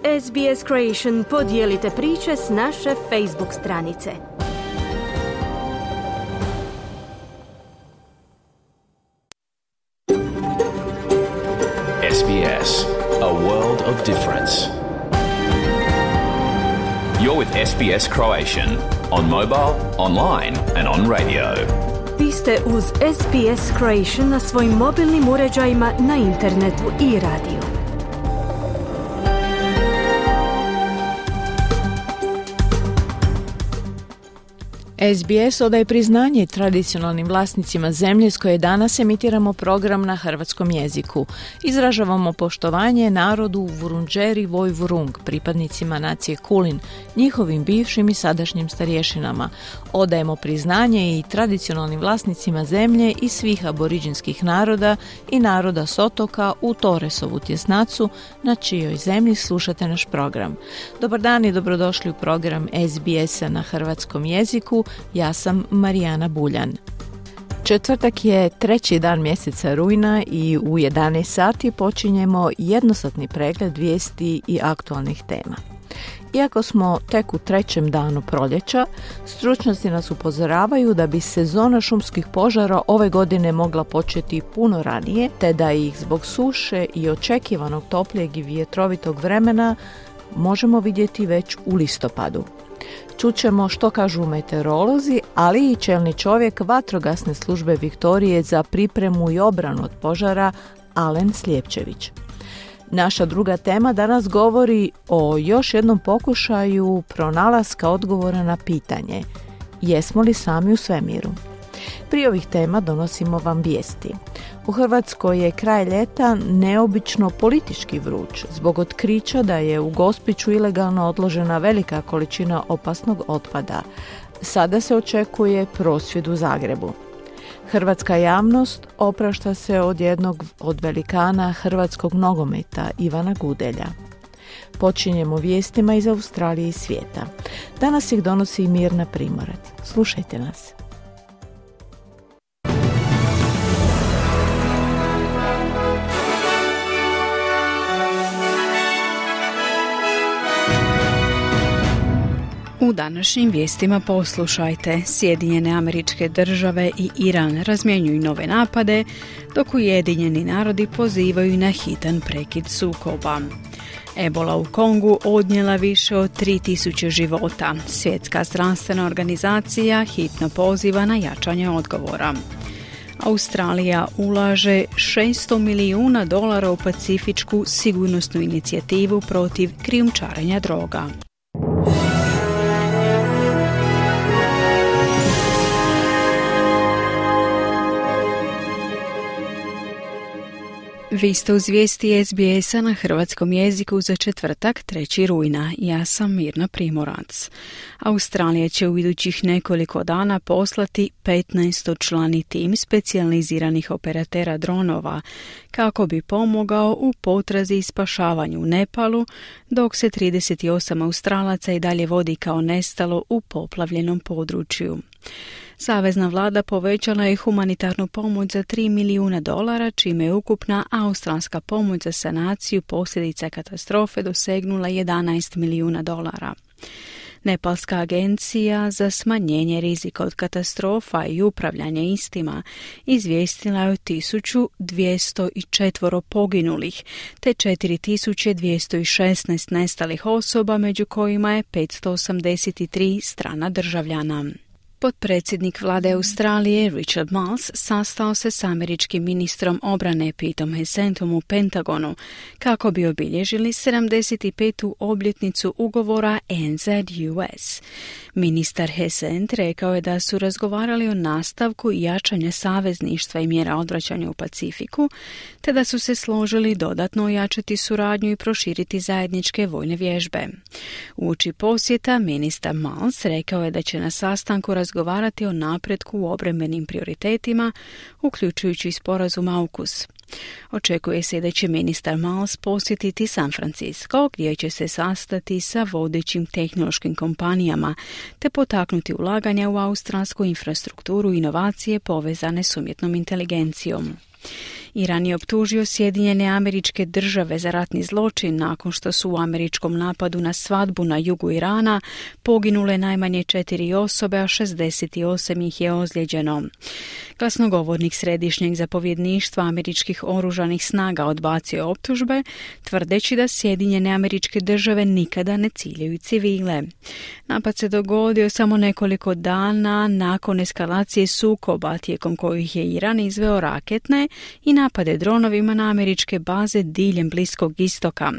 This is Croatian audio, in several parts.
SBS Creation podijelite priče s naše Facebook stranice. SBS, a world of difference. You're with SBS Croatian on mobile, online and on radio. Vi ste uz SBS Creation na svojim mobilnim uređajima, na internetu i radiju. SBS odaje priznanje tradicionalnim vlasnicima zemlje s koje danas emitiramo program na hrvatskom jeziku. Izražavamo poštovanje narodu Vurundjeri Woi-wurrung, pripadnicima nacije Kulin, njihovim bivšim i sadašnjim starješinama. Odajemo priznanje i tradicionalnim vlasnicima zemlje i svih aboriđinskih naroda i naroda s otoka u Torresovu tjesnacu, na čijoj zemlji slušate naš program. Dobar dan i dobrodošli u program SBS-a na hrvatskom jeziku. Ja sam Marijana Buljan. Četvrtak je 3. dan mjeseca rujna i u 11 sati počinjemo jednosatni pregled vijesti i aktualnih tema. Iako smo tek u 3. danu proljeća, stručnjaci nas upozoravaju da bi sezona šumskih požara ove godine mogla početi puno ranije, te da ih zbog suše i očekivanog toplijeg i vjetrovitog vremena možemo vidjeti već u listopadu. Čućemo što kažu meteorolozi, ali i čelni čovjek vatrogasne službe Viktorije za pripremu i obranu od požara, Alen Slijepčević. Naša druga tema danas govori o još jednom pokušaju pronalaska odgovora na pitanje: jesmo li sami u svemiru? Prije ovih tema donosimo vam vijesti. U Hrvatskoj je kraj ljeta neobično politički vruć zbog otkrića da je u Gospiću ilegalno odložena velika količina opasnog otpada. Sada se očekuje prosvjed u Zagrebu. Hrvatska javnost oprašta se od jednog od velikana hrvatskog nogometa, Ivana Gudelja. Počinjemo vijestima iz Australije i svijeta. Danas ih donosi Mirna Primorac. Slušajte nas. U današnjim vijestima poslušajte: Sjedinjene Američke Države i Iran razmjenjuju nove napade, dok Ujedinjeni narodi pozivaju na hitan prekid sukoba. Ebola u Kongu odnijela više od 3000 života. Svjetska zdravstvena organizacija hitno poziva na jačanje odgovora. Australija ulaže $600 milijuna u pacifičku sigurnosnu inicijativu protiv krijumčarenja droga. Vi ste uz vijesti SBS-a na hrvatskom jeziku za četvrtak 3. rujna. Ja sam Mirna Primorac. Australija će u idućih nekoliko dana poslati 15-člani tim specijaliziranih operatera dronova kako bi pomogao u potrazi i spašavanju u Nepalu, dok se 38 Australaca i dalje vodi kao nestalo u poplavljenom području. Savezna vlada povećala je humanitarnu pomoć za $3 milijuna, čime je ukupna australska pomoć za sanaciju posljedica katastrofe dosegnula $11 milijuna. Nepalska agencija za smanjenje rizika od katastrofa i upravljanje istima izvijestila je o 1204 poginulih te 4216 nestalih osoba, među kojima je 583 strana državljana. Potpredsjednik vlade Australije Richard Marles sastao se s američkim ministrom obrane Petom Hessentom u Pentagonu kako bi obilježili 75. obljetnicu ugovora ANZ-US. Ministar Hessent rekao je da su razgovarali o nastavku jačanja savezništva i mjera odvraćanja u Pacifiku, te da su se složili dodatno ojačati suradnju i proširiti zajedničke vojne vježbe. Uoči posjeta ministar Marles rekao je da će na sastanku razgovarati o napretku u obrambenim prioritetima, uključujući sporazum AUKUS. Očekuje se da će ministar Marles posjetiti San Francisco, gdje će se sastati sa vodećim tehnološkim kompanijama te potaknuti ulaganja u australsku infrastrukturu i inovacije povezane s umjetnom inteligencijom. Iran je optužio Sjedinjene Američke Države za ratni zločin nakon što su u američkom napadu na svadbu na jugu Irana poginule najmanje 4 osobe, a 68 ih je ozlijeđeno. Glasnogovornik Središnjeg zapovjedništva američkih oružanih snaga odbacio je optužbe, tvrdeći da Sjedinjene Američke Države nikada ne ciljaju civile. Napad se dogodio samo nekoliko dana nakon eskalacije sukoba, tijekom kojih je Iran izveo raketne i napade dronovima na američke baze diljem Bliskog istoka.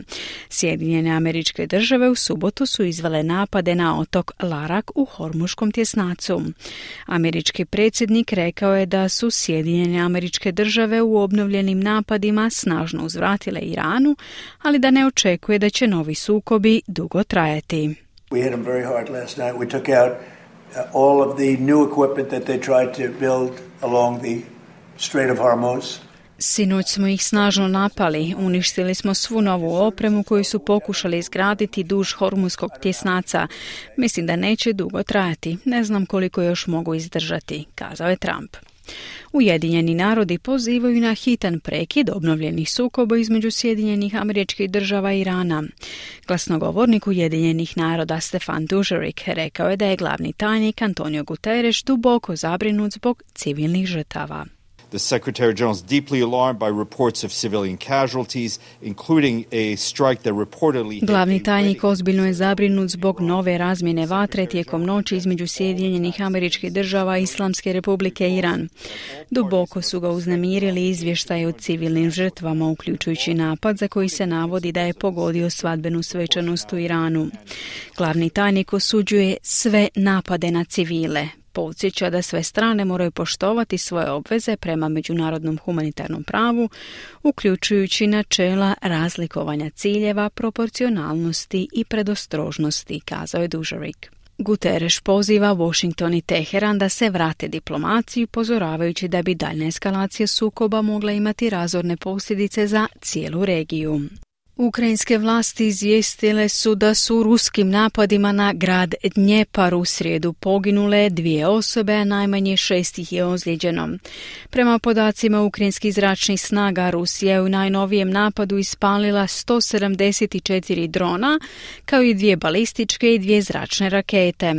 Sjedinjene Američke Države u subotu su izvele napade na otok Larak u Hormuškom tjesnacu. Američki predsjednik rekao je da su Sjedinjene Američke Države u obnovljenim napadima snažno uzvratile Iranu, ali da ne očekuje da će novi sukobi dugo trajati. We hit them very hard last night. We took out all of the new equipment that they tried to build along the Strait of Hormuz. Sinoć smo ih snažno napali, uništili smo svu novu opremu koju su pokušali izgraditi duž Hormuzskog tjesnaca. Mislim da neće dugo trajati, ne znam koliko još mogu izdržati, kazao je Trump. Ujedinjeni narodi pozivaju na hitan prekid obnovljenih sukoba između Sjedinjenih Američkih Država i Irana. Glasnogovornik Ujedinjenih naroda Stefan Dujarric rekao je da je glavni tajnik Antonio Guterres duboko zabrinut zbog civilnih žrtava. The Secretary General is deeply alarmed by reports of civilian casualties, including a strike that reportedly... Glavni tajnik ozbiljno je zabrinut zbog nove razmjene vatre tijekom noći između Sjedinjenih Američkih Država i Islamske Republike Iran. Duboko su ga uznemirili izvještaje o civilnim žrtvama, uključujući napad za koji se navodi da je pogodio svadbenu svečanost u Iranu. Glavni tajnik osuđuje sve napade na civile. Podsjeća da sve strane moraju poštovati svoje obveze prema međunarodnom humanitarnom pravu, uključujući načela razlikovanja ciljeva, proporcionalnosti i predostrožnosti, kazao je Dujarric. Guterres poziva Washington i Teheran da se vrate diplomaciji, upozoravajući da bi daljna eskalacija sukoba mogla imati razorne posljedice za cijelu regiju. Ukrajinske vlasti izvijestile su da su ruskim napadima na grad Dnjepar u srijedu poginule 2 osobe, a najmanje 6 ih je ozlijeđeno. Prema podacima ukrajinskih zračnih snaga, Rusija je u najnovijem napadu ispalila 174 drona, kao i 2 balističke i 2 zračne rakete.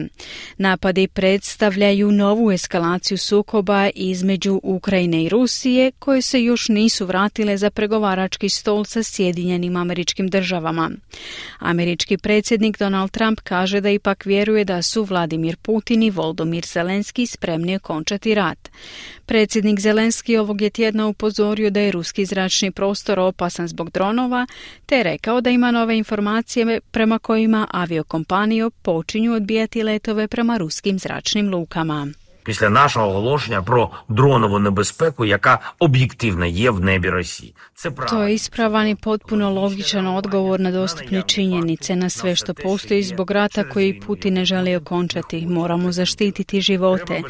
Napadi predstavljaju novu eskalaciju sukoba između Ukrajine i Rusije, koje se još nisu vratile za pregovarački stol sa Sjedinjenim Američkim Državama. Američki predsjednik Donald Trump kaže da ipak vjeruje da su Vladimir Putin i Volodymyr Zelenski spremni okončati rat. Predsjednik Zelenski ovog je tjedna upozorio da je ruski zračni prostor opasan zbog dronova, te rekao da ima nove informacije prema kojima aviokompanije počinju odbijati letove prema ruskim zračnim lukama. Після нашого оголошення про дронову небезпеку, яка об'єктивно є в небі Росії. To je ispravan i potpuno logičan odgovor na dostupne činjenice, na sve što postoji zbog rata koji Putin ne želi okončati. Moramo zaštititi živote.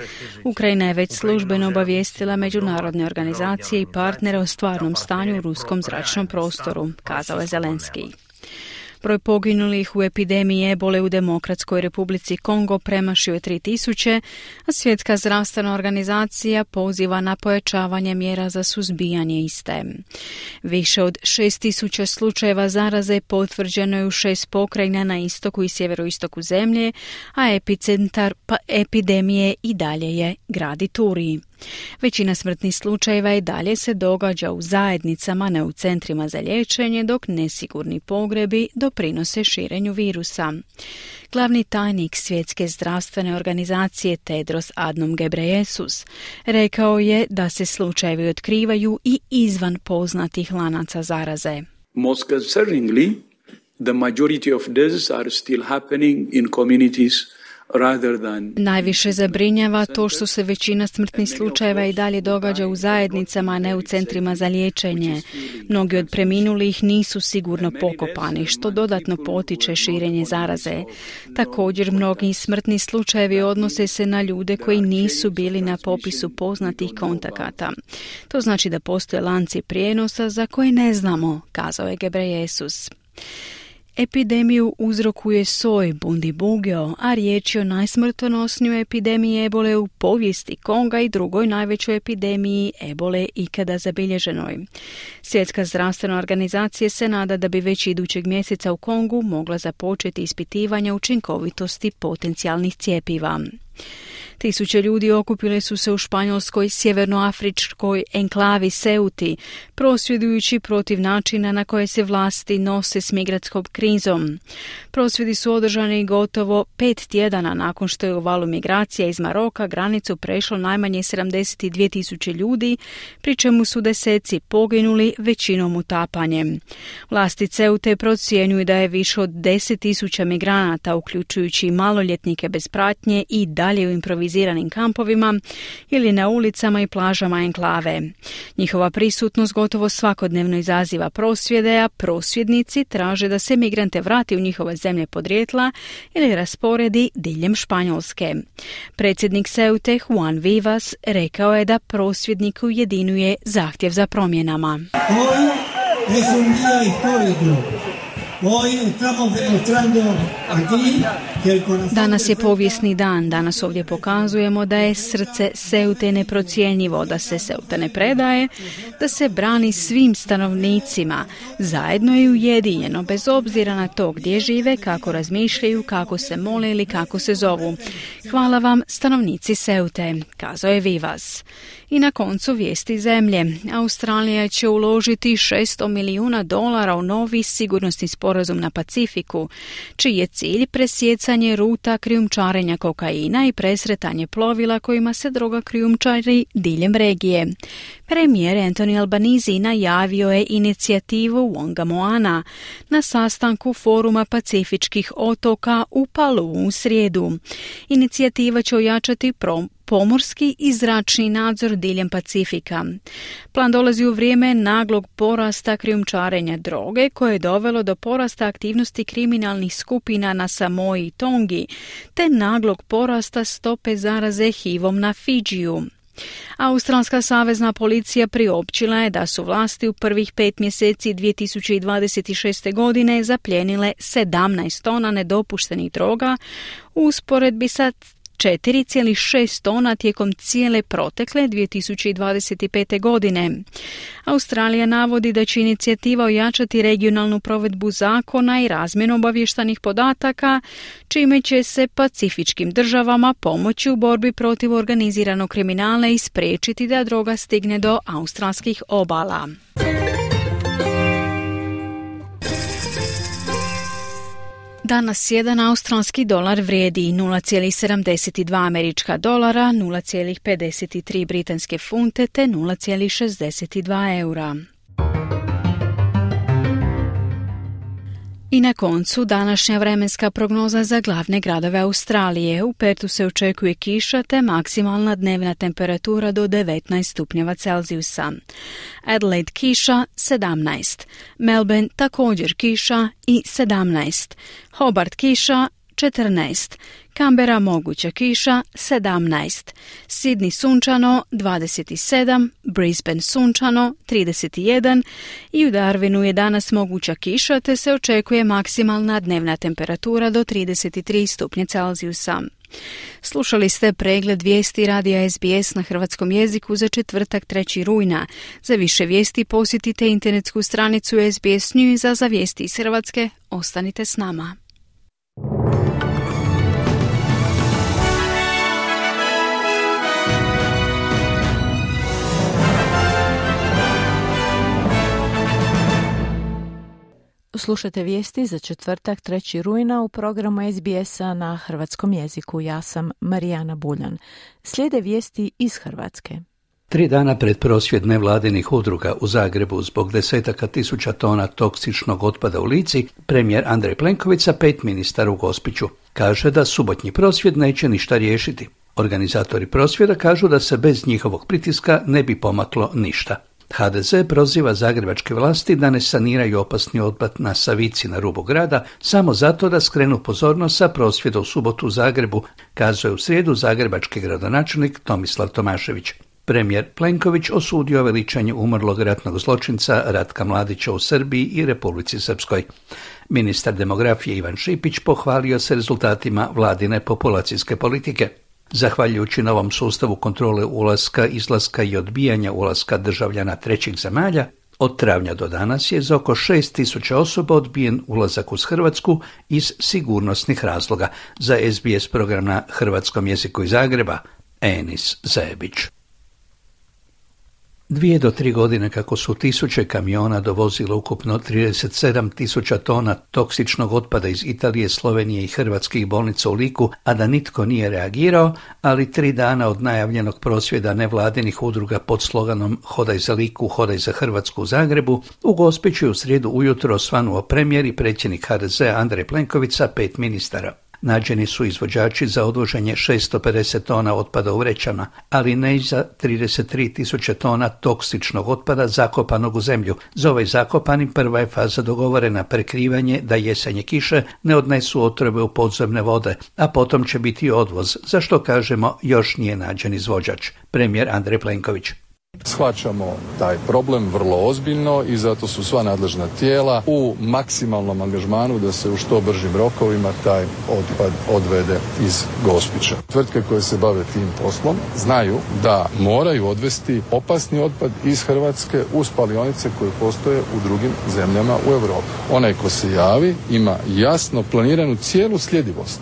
Ukrajina je već službeno obavijestila međunarodne organizacije i partnere o stvarnom stanju u ruskom zračnom prostoru, kazao je Zelenski. Broj poginulih u epidemiji ebole u Demokratskoj Republici Kongo premašio je 3000, a Svjetska zdravstvena organizacija poziva na pojačavanje mjera za suzbijanje iste. Više od 6000 slučajeva zaraze potvrđeno je u 6 pokrajina na istoku i sjeveroistoku zemlje, a epicentar epidemije i dalje je grad Ituri. Većina smrtnih slučajeva i dalje se događa u zajednicama, ne u centrima za liječenje, dok nesigurni pogrebi doprinose širenju virusa. Glavni tajnik Svjetske zdravstvene organizacije Tedros Adhanom Ghebreyesus rekao je da se slučajevi otkrivaju i izvan poznatih lanaca zaraze. Most concerningly, the majority of deaths are still happening in communities. Najviše zabrinjava to što se većina smrtnih slučajeva i dalje događa u zajednicama, a ne u centrima za liječenje. Mnogi od preminulih nisu sigurno pokopani, što dodatno potiče širenje zaraze. Također, mnogi smrtni slučajevi odnose se na ljude koji nisu bili na popisu poznatih kontakata. To znači da postoje lanci prijenosa za koje ne znamo, kazao je Ghebreyesus. Epidemiju uzrokuje soj Bundibugyo, a riječ je o najsmrtonosnijoj epidemiji ebole u povijesti Konga i drugoj najvećoj epidemiji ebole ikada zabilježenoj. Svjetska zdravstvena organizacija se nada da bi već idućeg mjeseca u Kongu mogla započeti ispitivanja učinkovitosti potencijalnih cjepiva. Tisuće ljudi okupile su se u španjolskoj sjevernoafričkoj enklavi Ceuti, prosvjedujući protiv načina na koje se vlasti nose s migrantskom krizom. Prosvjedi su održani gotovo 5 tjedana nakon što je u valu migracija iz Maroka granicu prešlo najmanje 72.000 ljudi, pri čemu su deseci poginuli, većinom utapanjem. Vlasti Ceute procjenjuju da je više od 10.000 migranata, uključujući maloljetnike bez pratnje, i dalje u improviziranim kampovima ili na ulicama i plažama enklave. Njihova prisutnost gotovo svakodnevno izaziva prosvjede, a prosvjednici traže da se migrante vrati u njihove zemlje podrijetla ili rasporedi diljem Španjolske. Predsjednik Ceute Juan Vivas rekao je da prosvjedniku ujedinjuje zahtjev za promjenama. Danas je povijesni dan. Danas ovdje pokazujemo da je srce Ceute neprocjenjivo, da se Ceuta ne predaje, da se brani svim stanovnicima, zajedno i ujedinjeno, bez obzira na to gdje žive, kako razmišljaju, kako se mole ili kako se zovu. Hvala vam, stanovnici Ceute, kazao je Vivas. I na koncu vijesti zemlje. Australija će uložiti $600 milijuna u novi sigurnosni sporazum na Pacifiku, čiji je cilj presjecanje ruta krijumčarenja kokaina i presretanje plovila kojima se droga krijumčari diljem regije. Premijer Anthony Albanese najavio je inicijativu Wonga Moana na sastanku Foruma Pacifičkih otoka u Paluu u srijedu. Inicijativa će ojačati pomorski i zračni nadzor diljem Pacifika. Plan dolazi u vrijeme naglog porasta krijumčarenja droge, koje je dovelo do porasta aktivnosti kriminalnih skupina na Samoi i Tongi, te naglog porasta stope zaraze HIV-om na Fidžiju. Australska savezna policija priopćila je da su vlasti u prvih 5 mjeseci 2026. godine zaplijenile 17 tona nedopuštenih droga u usporedbi sa 4,6 tona tijekom cijele protekle 2025. godine. Australija navodi da će inicijativa ojačati regionalnu provedbu zakona i razmjenu obavještajnih podataka, čime će se pacifičkim državama pomoći u borbi protiv organiziranog kriminala i spriječiti da droga stigne do australskih obala. Danas jedan australski dolar vrijedi 0,72 američka dolara, 0,53 britanske funte te 0,62 eura. I na koncu današnja vremenska prognoza za glavne gradove Australije. U Pertu se očekuje kiša te maksimalna dnevna temperatura do 19 stupnjeva Celzijusa. Adelaide kiša 17, Melbourne također kiša i 17, Hobart kiša 14, Canberra moguća kiša 17, Sydney sunčano 27, Brisbane sunčano 31 i u Darwinu je danas moguća kiša te se očekuje maksimalna dnevna temperatura do 33 stupnja Celzijusa. Slušali ste pregled vijesti radija SBS na hrvatskom jeziku za četvrtak 3. rujna. Za više vijesti posjetite internetsku stranicu SBS News, a za vijesti iz Hrvatske ostanite s nama. Slušajte vijesti za četvrtak 3. rujna u programu SBS-a na hrvatskom jeziku. Ja sam Marijana Buljan. Slijede vijesti iz Hrvatske. 3 dana pred prosvjed nevladinih udruga u Zagrebu zbog desetaka tisuća tona toksičnog otpada u Lici, premijer Andrej Plenković sa 5 ministara u Gospiću kaže da subotnji prosvjed neće ništa riješiti. Organizatori prosvjeda kažu da se bez njihovog pritiska ne bi pomaklo ništa. HDZ proziva zagrebačke vlasti da ne saniraju opasni otpad na Savici na rubu grada samo zato da skrenu pozornost sa prosvjeda u subotu u Zagrebu, kazao je u srijedu zagrebački gradonačelnik Tomislav Tomašević. Premijer Plenković osudio veličanje umrlog ratnog zločinca Ratka Mladića u Srbiji i Republici Srpskoj. Ministar demografije Ivan Šipić pohvalio se rezultatima vladine populacijske politike. Zahvaljujući novom sustavu kontrole ulaska, izlaska i odbijanja ulaska državljana trećih zemalja, od travnja do danas je za oko 6.000 osoba odbijen ulazak uz Hrvatsku iz sigurnosnih razloga. Za SBS program na hrvatskom jeziku iz Zagreba, Enis Zebić. 2 do 3 godine kako su tisuće kamiona dovozilo ukupno 37.000 tona toksičnog otpada iz Italije, Slovenije i hrvatskih bolnica u Liku, a da nitko nije reagirao, ali 3 dana od najavljenog prosvjeda nevladinih udruga pod sloganom Hodaj za Liku, hodaj za Hrvatsku u Zagrebu, u Gospiću je u srijedu ujutro osvanuo premijer i predsjednik HDZ Andrej Plenković sa 5 ministara. Nađeni su izvođači za odvoženje 650 tona otpada u vrećama, ali ne i za 33.000 tona toksičnog otpada zakopanog u zemlju. Za ovaj zakopani prva je faza dogovorena, prekrivanje da jesenje kiše ne odnesu otrove u podzemne vode, a potom će biti odvoz, za što kažemo još nije nađen izvođač. Premijer Andrej Plenković. Shvaćamo taj problem vrlo ozbiljno i zato su sva nadležna tijela u maksimalnom angažmanu da se u što bržim rokovima taj otpad odvede iz Gospića. Tvrtke koje se bave tim poslom znaju da moraju odvesti opasni otpad iz Hrvatske u spalionice koje postoje u drugim zemljama u Europi. Onaj ko se javi ima jasno planiranu cijelu sljedivost.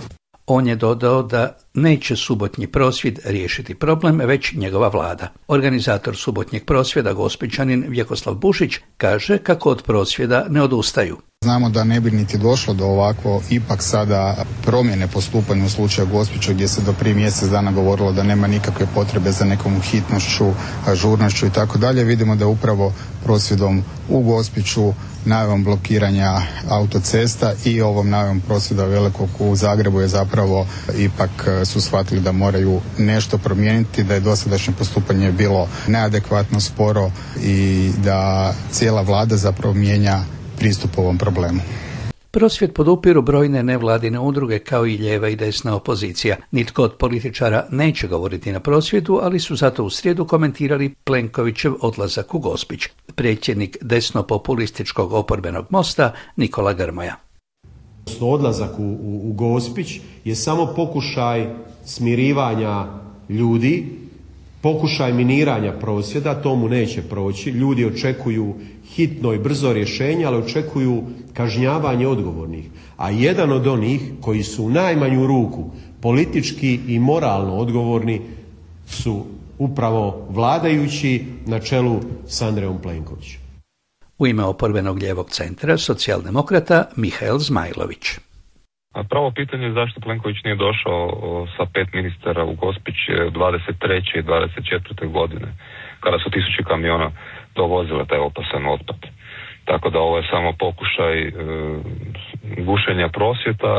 On je dodao da neće subotnji prosvjed riješiti problem, već njegova vlada. Organizator subotnjeg prosvjeda, Gospićanin Vjekoslav Bušić, kaže kako od prosvjeda ne odustaju. Znamo da ne bi niti došlo do ovako ipak sada promjene postupanja u slučaju Gospića, gdje se do prije mjesec dana govorilo da nema nikakve potrebe za nekom hitnošću, ažurnošću i tako dalje. Vidimo da upravo prosvjedom u Gospiću, najavom blokiranja autocesta i ovom najavom prosvjeda velikog u Zagrebu je zapravo ipak su shvatili da moraju nešto promijeniti, da je dosadašnje postupanje bilo neadekvatno, sporo i da cijela vlada zapravo mijenja pristup ovom problemu. Prosvjed podupiru brojne nevladine udruge kao i lijeva i desna opozicija. Nitko od političara neće govoriti na prosvjedu, ali su zato u srijedu komentirali Plenkovićev odlazak u Gospić. Predsjednik desno-populističkog oporbenog Mosta Nikola Grmoja. Odlazak u Gospić je samo pokušaj smirivanja ljudi, pokušaj miniranja prosvjeda, tomu neće proći. Ljudi očekuju hitno i brzo rješenje, ali očekuju kažnjavanje odgovornih. A jedan od onih koji su u najmanju ruku politički i moralno odgovorni su upravo vladajući na čelu s Andrejom Plenkovićem. U ime oporbenog lijevog centra, socijaldemokrata Mihael Zmajlović. Pravo pitanje je zašto Plenković nije došao sa 5 ministara u Gospić 23. i 24. godine, kada su tisuće kamiona dovozile taj opasan otpad. Tako da ovo je samo pokušaj gušenja prosvjeta.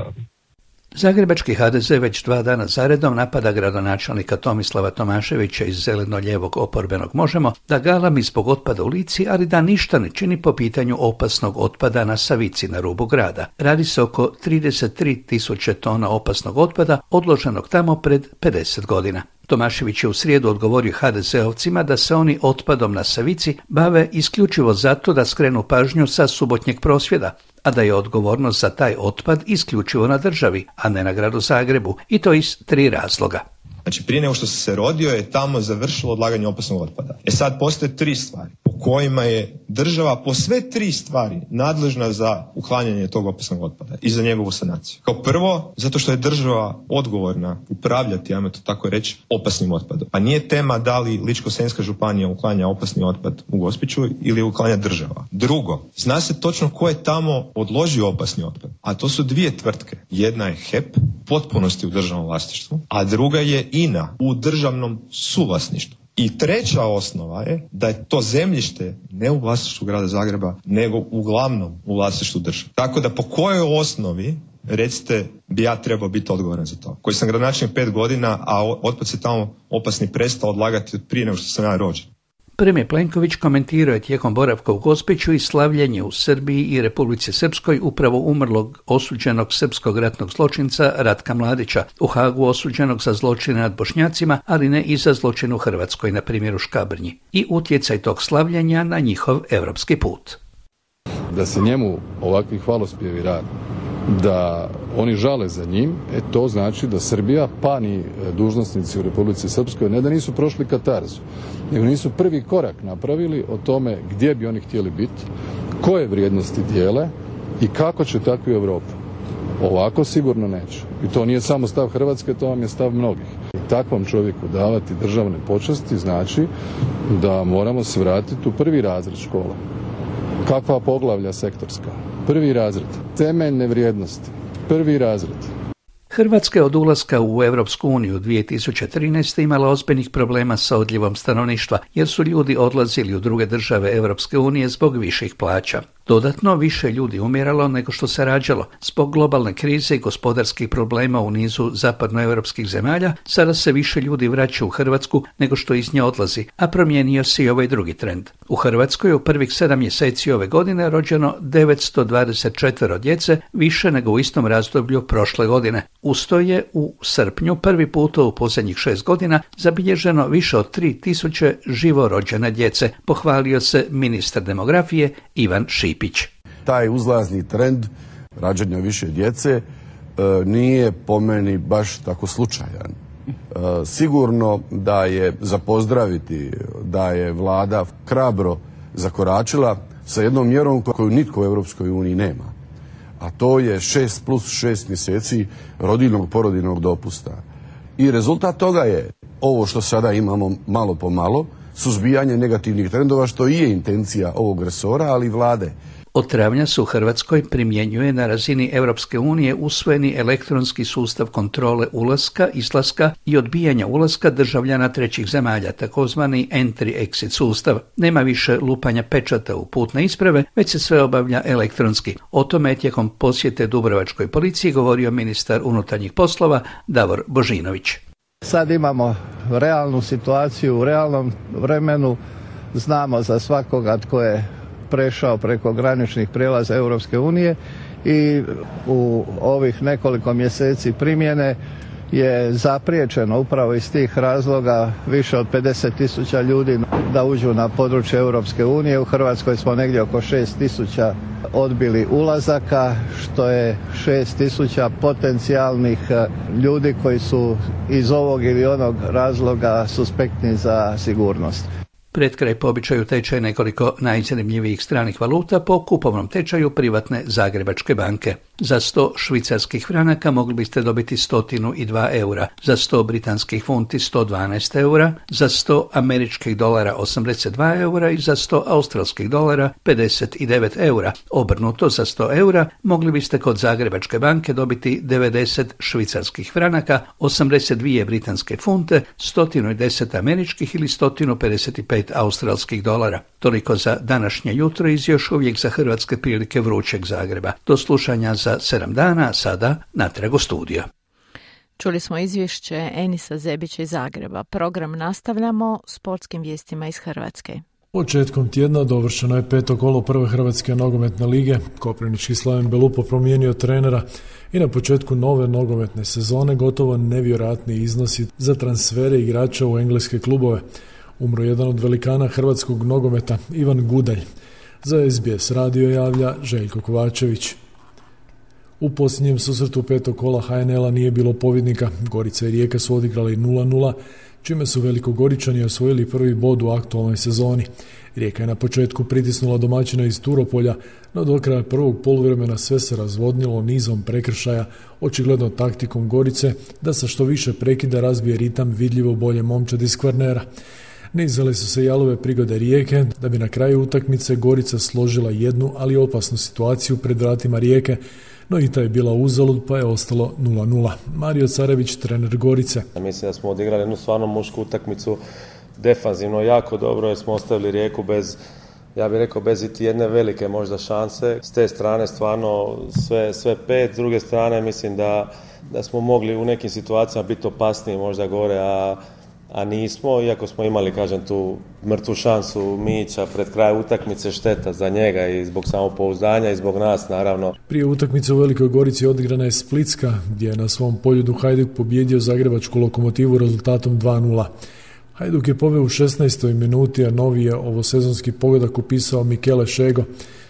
Zagrebački HDZ već 2 dana zaredom napada gradonačelnika Tomislava Tomaševića iz zeleno-lijevog oporbenog Možemo da galami zbog otpada u Lici, ali da ništa ne čini po pitanju opasnog otpada na Savici na rubu grada. Radi se oko 33.000 tona opasnog otpada odloženog tamo pred 50 godina. Tomašević je u srijedu odgovorio HDZ-ovcima da se oni otpadom na Savici bave isključivo zato da skrenu pažnju sa subotnjeg prosvjeda, a da je odgovornost za taj otpad isključivo na državi, a ne na gradu Zagrebu, i to iz 3 razloga. Znači, prije nego što se rodio je tamo završilo odlaganje opasnog otpada. Sad postoje 3 stvari po kojima je država po sve 3 stvari nadležna za uklanjanje tog opasnog otpada i za njegovu sanaciju. Kao prvo, zato što je država odgovorna upravljati, ajmo to tako reći, opasnim otpadom. Pa nije tema da li Ličko-senjska županija uklanja opasni otpad u Gospiću ili uklanja država. Drugo, zna se točno ko je tamo odložio opasni otpad, a to su 2 tvrtke. Jedna je HEP, potpunosti u državnom vlasništvu, a druga je INA u državnom suvlasništvu. I treća osnova je da je to zemljište ne u vlasništvu grada Zagreba, nego uglavnom u vlasništvu države. Tako da po kojoj osnovi, recite, bi ja trebao biti odgovoran za to? Koji sam gradonačelnik 5 godina, a otpad se tamo opasni prestao odlagati od prije nego što sam ja rođen. Premijer Plenković komentirao je tijekom boravka u Gospiću i slavljenje u Srbiji i Republici Srpskoj upravo umrlog osuđenog srpskog ratnog zločinca Ratka Mladića, u Hagu osuđenog za zločine nad Bošnjacima, ali ne i za zločin u Hrvatskoj, na primjer u Škabrnji, i utjecaj tog slavljenja na njihov europski put. Da se njemu ovakvi hvalospjevi rade, da oni žale za njim, to znači da Srbija, pa ni dužnosnici u Republici Srpskoj, ne da nisu prošli katarzu, nego nisu prvi korak napravili o tome gdje bi oni htjeli biti, koje vrijednosti dijele i kako će takvi Europu. Ovako sigurno neće. I to nije samo stav Hrvatske, to vam je stav mnogih. I takvom čovjeku davati državne počasti znači da moramo se vratiti u prvi razred škole. Kakva poglavlja sektorska? Prvi razred. Temeljne vrijednosti. Prvi razred. Hrvatska je od ulaska u Europsku uniju 2013. imala ozbiljnih problema sa odljevom stanovništva, jer su ljudi odlazili u druge države Europske unije zbog viših plaća. Dodatno, više ljudi umiralo nego što se rađalo. Zbog globalne krize i gospodarskih problema u nizu zapadnoevropskih zemalja, sada se više ljudi vraća u Hrvatsku nego što iz nje odlazi, a promijenio se i ovaj drugi trend. U Hrvatskoj u prvih 7 mjeseci ove godine rođeno 924 djece, više nego u istom razdoblju prošle godine. Usto je u srpnju prvi puta u posljednjih 6 godina zabilježeno više od 3000 živorođene djece, pohvalio se ministar demografije Ivan Šipić. Taj uzlazni trend rađanja više djece nije po meni baš tako slučajan. Sigurno da je za pozdraviti da je vlada hrabro zakoračila sa jednom mjerom koju nitko u Europskoj uniji nema. A to je 6 plus 6 mjeseci rodiljnog porodiljnog dopusta. I rezultat toga je ovo što sada imamo malo po malo, suzbijanje negativnih trendova, što i je intencija ovog resora, ali i vlade. Od travnja se u Hrvatskoj primjenjuje na razini Europske unije usvojeni elektronski sustav kontrole ulaska, izlaska i odbijanja ulaska državljana trećih zemalja, takozvani entry-exit sustav. Nema više lupanja pečata u putne isprave, već se sve obavlja elektronski. O tome je tijekom posjete Dubrovačkoj policiji govorio ministar unutarnjih poslova Davor Božinović. Sad imamo realnu situaciju u realnom vremenu, znamo za svakoga tko je prešao preko graničnih prijelaza Europske unije i u ovih nekoliko mjeseci primjene je zapriječeno upravo iz tih razloga više od 50.000 ljudi da uđu na područje Europske unije. U Hrvatskoj smo negdje oko 6.000 odbili ulazaka, što je 6.000 potencijalnih ljudi koji su iz ovog ili onog razloga suspektni za sigurnost. Pred kraj po običaju tečaj nekoliko najzanimljivijih stranih valuta po kupovnom tečaju privatne Zagrebačke banke. Za 100 švicarskih franaka mogli biste dobiti 102 eura, za 100 britanskih funti 112 eura, za 100 američkih dolara 82 eura i za 100 australskih dolara 59 eura. Obrnuto, za 100 eura mogli biste kod Zagrebačke banke dobiti 90 švicarskih franaka, 82 britanske funte, 110 američkih ili 155 australskih dolara. Toliko za današnje jutro iz još uvijek za hrvatske prilike vrućeg Zagreba. Do slušanja za 7 dana, sada natrag u studio. Čuli smo izvješće Enisa Zebića iz Zagreba. Program nastavljamo sportskim vijestima iz Hrvatske. Početkom tjedna dovršeno je 5. kolo prve Hrvatske nogometne lige. Koprivnički Slaven Belupo promijenio trenera i na početku nove nogometne sezone gotovo nevjerojatni iznosi za transfere igrača u engleske klubove. Umro jedan od velikana hrvatskog nogometa, Ivan Gudalj. Za SBS radio javlja Željko Kovačević. U posljednjem susretu 5. kola HNL-a nije bilo pobjednika. Gorica i Rijeka su odigrali 0-0, čime su Velikogoričani osvojili prvi bod u aktualnoj sezoni. Rijeka je na početku pritisnula domaćina iz Turopolja, no do kraja prvog poluvremena sve se razvodnilo nizom prekršaja, očigledno taktikom Gorice da sa što više prekida razbije ritam vidljivo bolje momčad iz Kvarnera. Nizale su se jalove prigode Rijeke, da bi na kraju utakmice Gorica složila jednu, ali opasnu situaciju pred vratima Rijeke, no i ta je bila uzalud pa je ostalo 0-0. Mario Carević, trener Gorice. Mislim da smo odigrali jednu stvarno mušku utakmicu, defanzivno jako dobro, jer smo ostavili Rijeku bez, ja bih rekao, bez iti jedne velike možda šanse. S te strane stvarno sve pet, s druge strane mislim da smo mogli u nekim situacijama biti opasniji možda gore, a a nismo, iako smo imali, kažem, tu mrtvu šansu Mića pred kraj utakmice, šteta za njega i zbog samopouzdanja i zbog nas, naravno. Prije utakmice u Velikoj Gorici odigrana je Splitska, gdje je na svom poljudu Hajduk pobjedio zagrebačku Lokomotivu rezultatom 2:0. Hajduk je poveo u 16. minuti, a novi je ovosezonski pogodak upisao Mikele Šego.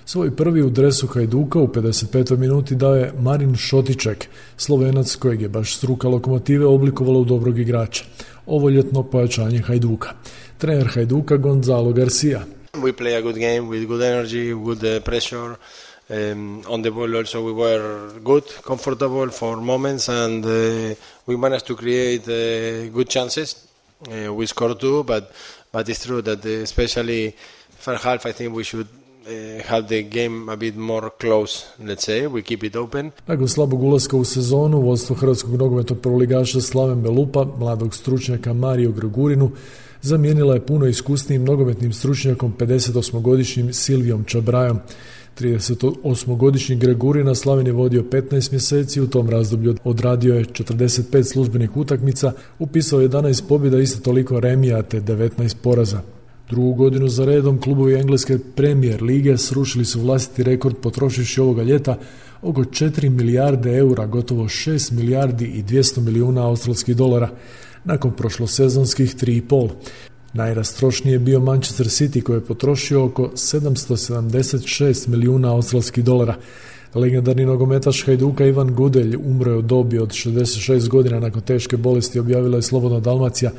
Svoj prvi u dresu Hajduka u 55. minuti dao je Marin Šotiček, Slovenac kojeg je baš struka Lokomotive oblikovala u dobrog igrača. Ovo ljetno pojačanje Hajduka. Trener Hajduka Gonzalo Garcia. We play a good game with good energy, good pressure. On the ball also we were good, comfortable for moments, and we managed to create good chances. We scored 2, but it's true that especially first half I think we should have the game a bit more close, let's say, we keep it open. Nakon slabog ulaska u sezonu, vodstvo hrvatskog nogometnog prvoligaša Slaven Belupa, mladog stručnjaka Mario Gregurinu, zamijenila je puno iskusnijim nogometnim stručnjakom 58-godišnjim Silvijom Čabrajom. 38-godišnji Gregurina Slaven je vodio 15 mjeseci, u tom razdoblju odradio je 45 službenih utakmica, upisao 11 pobjeda, isto toliko remija te 19 poraza. Drugu godinu za redom klubovi engleske Premier lige srušili su vlastiti rekord potrošivši ovoga ljeta oko 4 milijarde eura, gotovo 6 milijardi i 200 milijuna australskih dolara, nakon prošlosezonskih 3,5. Najrastrošniji je bio Manchester City koji je potrošio oko 776 milijuna australskih dolara. Legendarni nogometaš Hajduka Ivan Gudelj umro je u dobi od 66 godina nakon teške bolesti, objavila je Slobodna Dalmacija.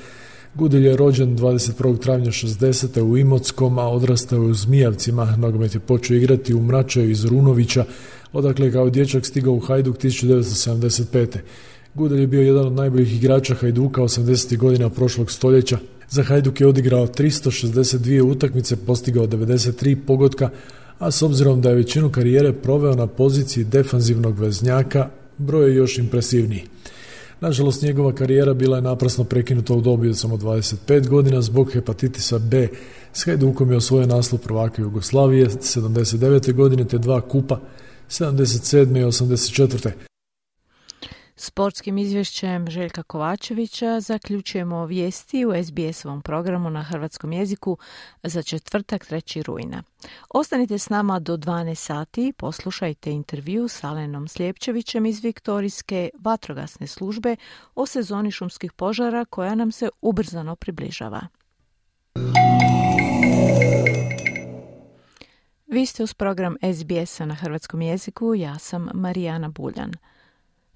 Gudelj je rođen 21. travnja 60. u Imotskom, a odrastao je u Zmijavcima. Nogomet je počeo igrati u Mračaju iz Runovića, odakle je kao dječak stigao u Hajduk 1975. Gudelj je bio jedan od najboljih igrača Hajduka 80. godina prošlog stoljeća. Za Hajduk je odigrao 362 utakmice, postigao 93 pogotka, a s obzirom da je većinu karijere proveo na poziciji defanzivnog veznjaka, broj je još impresivniji. Nažalost, njegova karijera bila je naprasno prekinuta u dobi od samo 25 godina zbog hepatitisa B. S Hajdukom je osvojio naslov prvaka Jugoslavije 79. godine te 2 kupa 77. i 84. Sportskim izvješćem Željka Kovačevića zaključujemo vijesti u SBS-ovom programu na hrvatskom jeziku za četvrtak 3. rujna. Ostanite s nama do 12 sati, poslušajte intervju s Alenom Sljepčevićem iz Viktorijske vatrogasne službe o sezoni šumskih požara koja nam se ubrzano približava. Vi ste uz program SBS-a na hrvatskom jeziku, ja sam Marijana Buljan.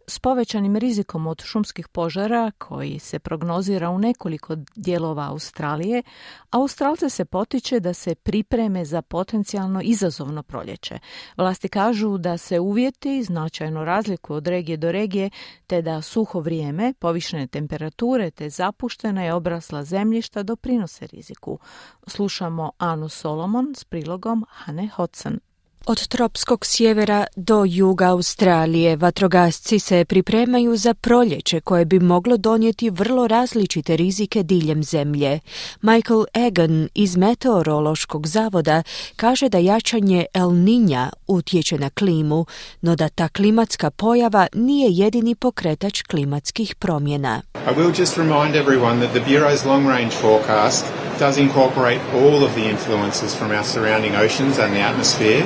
S povećanim rizikom od šumskih požara, koji se prognozira u nekoliko dijelova Australije, Australce se potiče da se pripreme za potencijalno izazovno proljeće. Vlasti kažu da se uvjeti značajno razlikuju od regije do regije, te da suho vrijeme, povišene temperature te zapuštena i obrasla zemljišta doprinose riziku. Slušamo Anu Solomon s prilogom Hane Hodson. Od tropskog sjevera do juga Australije vatrogasci se pripremaju za proljeće koje bi moglo donijeti vrlo različite rizike diljem zemlje. Michael Egan iz Meteorološkog zavoda kaže da jačanje El Niña utječe na klimu, no da ta klimatska pojava nije jedini pokretač klimatskih promjena. I will just remind everyone that the Bureau's long-range forecast does incorporate all of the influences from our surrounding oceans and the atmosphere.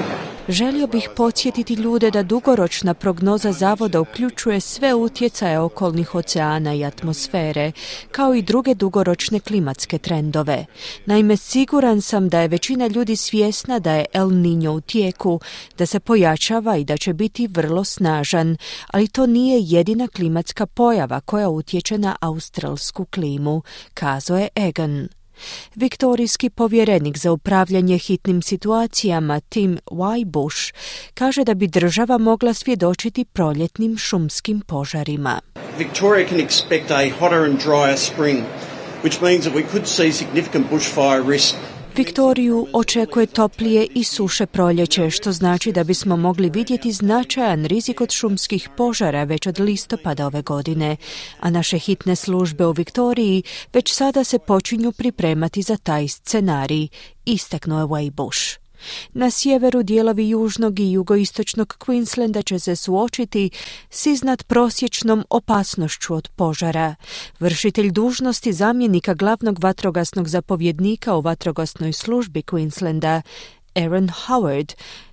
Želio bih podsjetiti ljude da dugoročna prognoza zavoda uključuje sve utjecaje okolnih oceana i atmosfere, kao i druge dugoročne klimatske trendove. Naime, siguran sam da je većina ljudi svjesna da je El Niño u tijeku, da se pojačava i da će biti vrlo snažan, ali to nije jedina klimatska pojava koja utječe na australsku klimu, kazao je Egan. Viktorijski povjerenik za upravljanje hitnim situacijama Tim Wybush kaže da bi država mogla svjedočiti proljetnim šumskim požarima. Victoria can expect a hotter and drier spring, which means that we could see significant bushfire risk. Viktoriju očekuje toplije i suše proljeće, što znači da bismo mogli vidjeti značajan rizik od šumskih požara već od listopada ove godine, a naše hitne službe u Viktoriji već sada se počinju pripremati za taj scenarij, istaknuo je Wybush. Na sjeveru dijelovi južnog i jugoistočnog Queenslanda će se suočiti s iznadprosječnom opasnošću od požara. Vršitelj dužnosti zamjenika glavnog vatrogasnog zapovjednika u vatrogasnoj službi Queenslanda, Aaron Howard,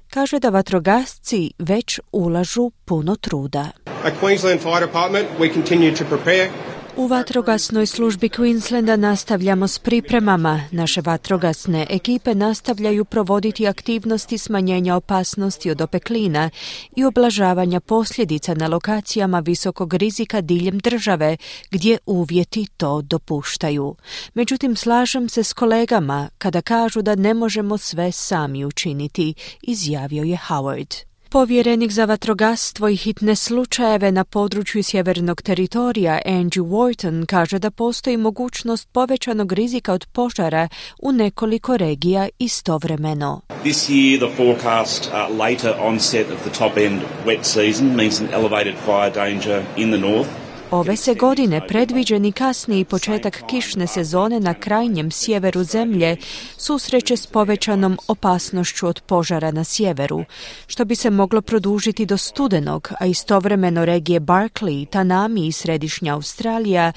kaže da vatrogasci već ulažu puno truda. At Queensland Fire Department, we continue to prepare. U vatrogasnoj službi Queenslanda nastavljamo s pripremama. Naše vatrogasne ekipe nastavljaju provoditi aktivnosti smanjenja opasnosti od opeklina i oblažavanja posljedica na lokacijama visokog rizika diljem države, gdje uvjeti to dopuštaju. Međutim, slažem se s kolegama kada kažu da ne možemo sve sami učiniti, izjavio je Howard. Povjerenik za vatrogastvo i hitne slučajeve na području sjevernog teritorija Andrew Wharton kaže da postoji mogućnost povećanog rizika od požara u nekoliko regija istovremeno. This year the forecast later onset of the top end wet season means an elevated fire danger in the north. Ove se godine predviđeni kasniji početak kišne sezone na krajnjem sjeveru zemlje susreće s povećanom opasnošću od požara na sjeveru, što bi se moglo produžiti do studenog, a istovremeno regije Barkly, Tanami i središnja Australija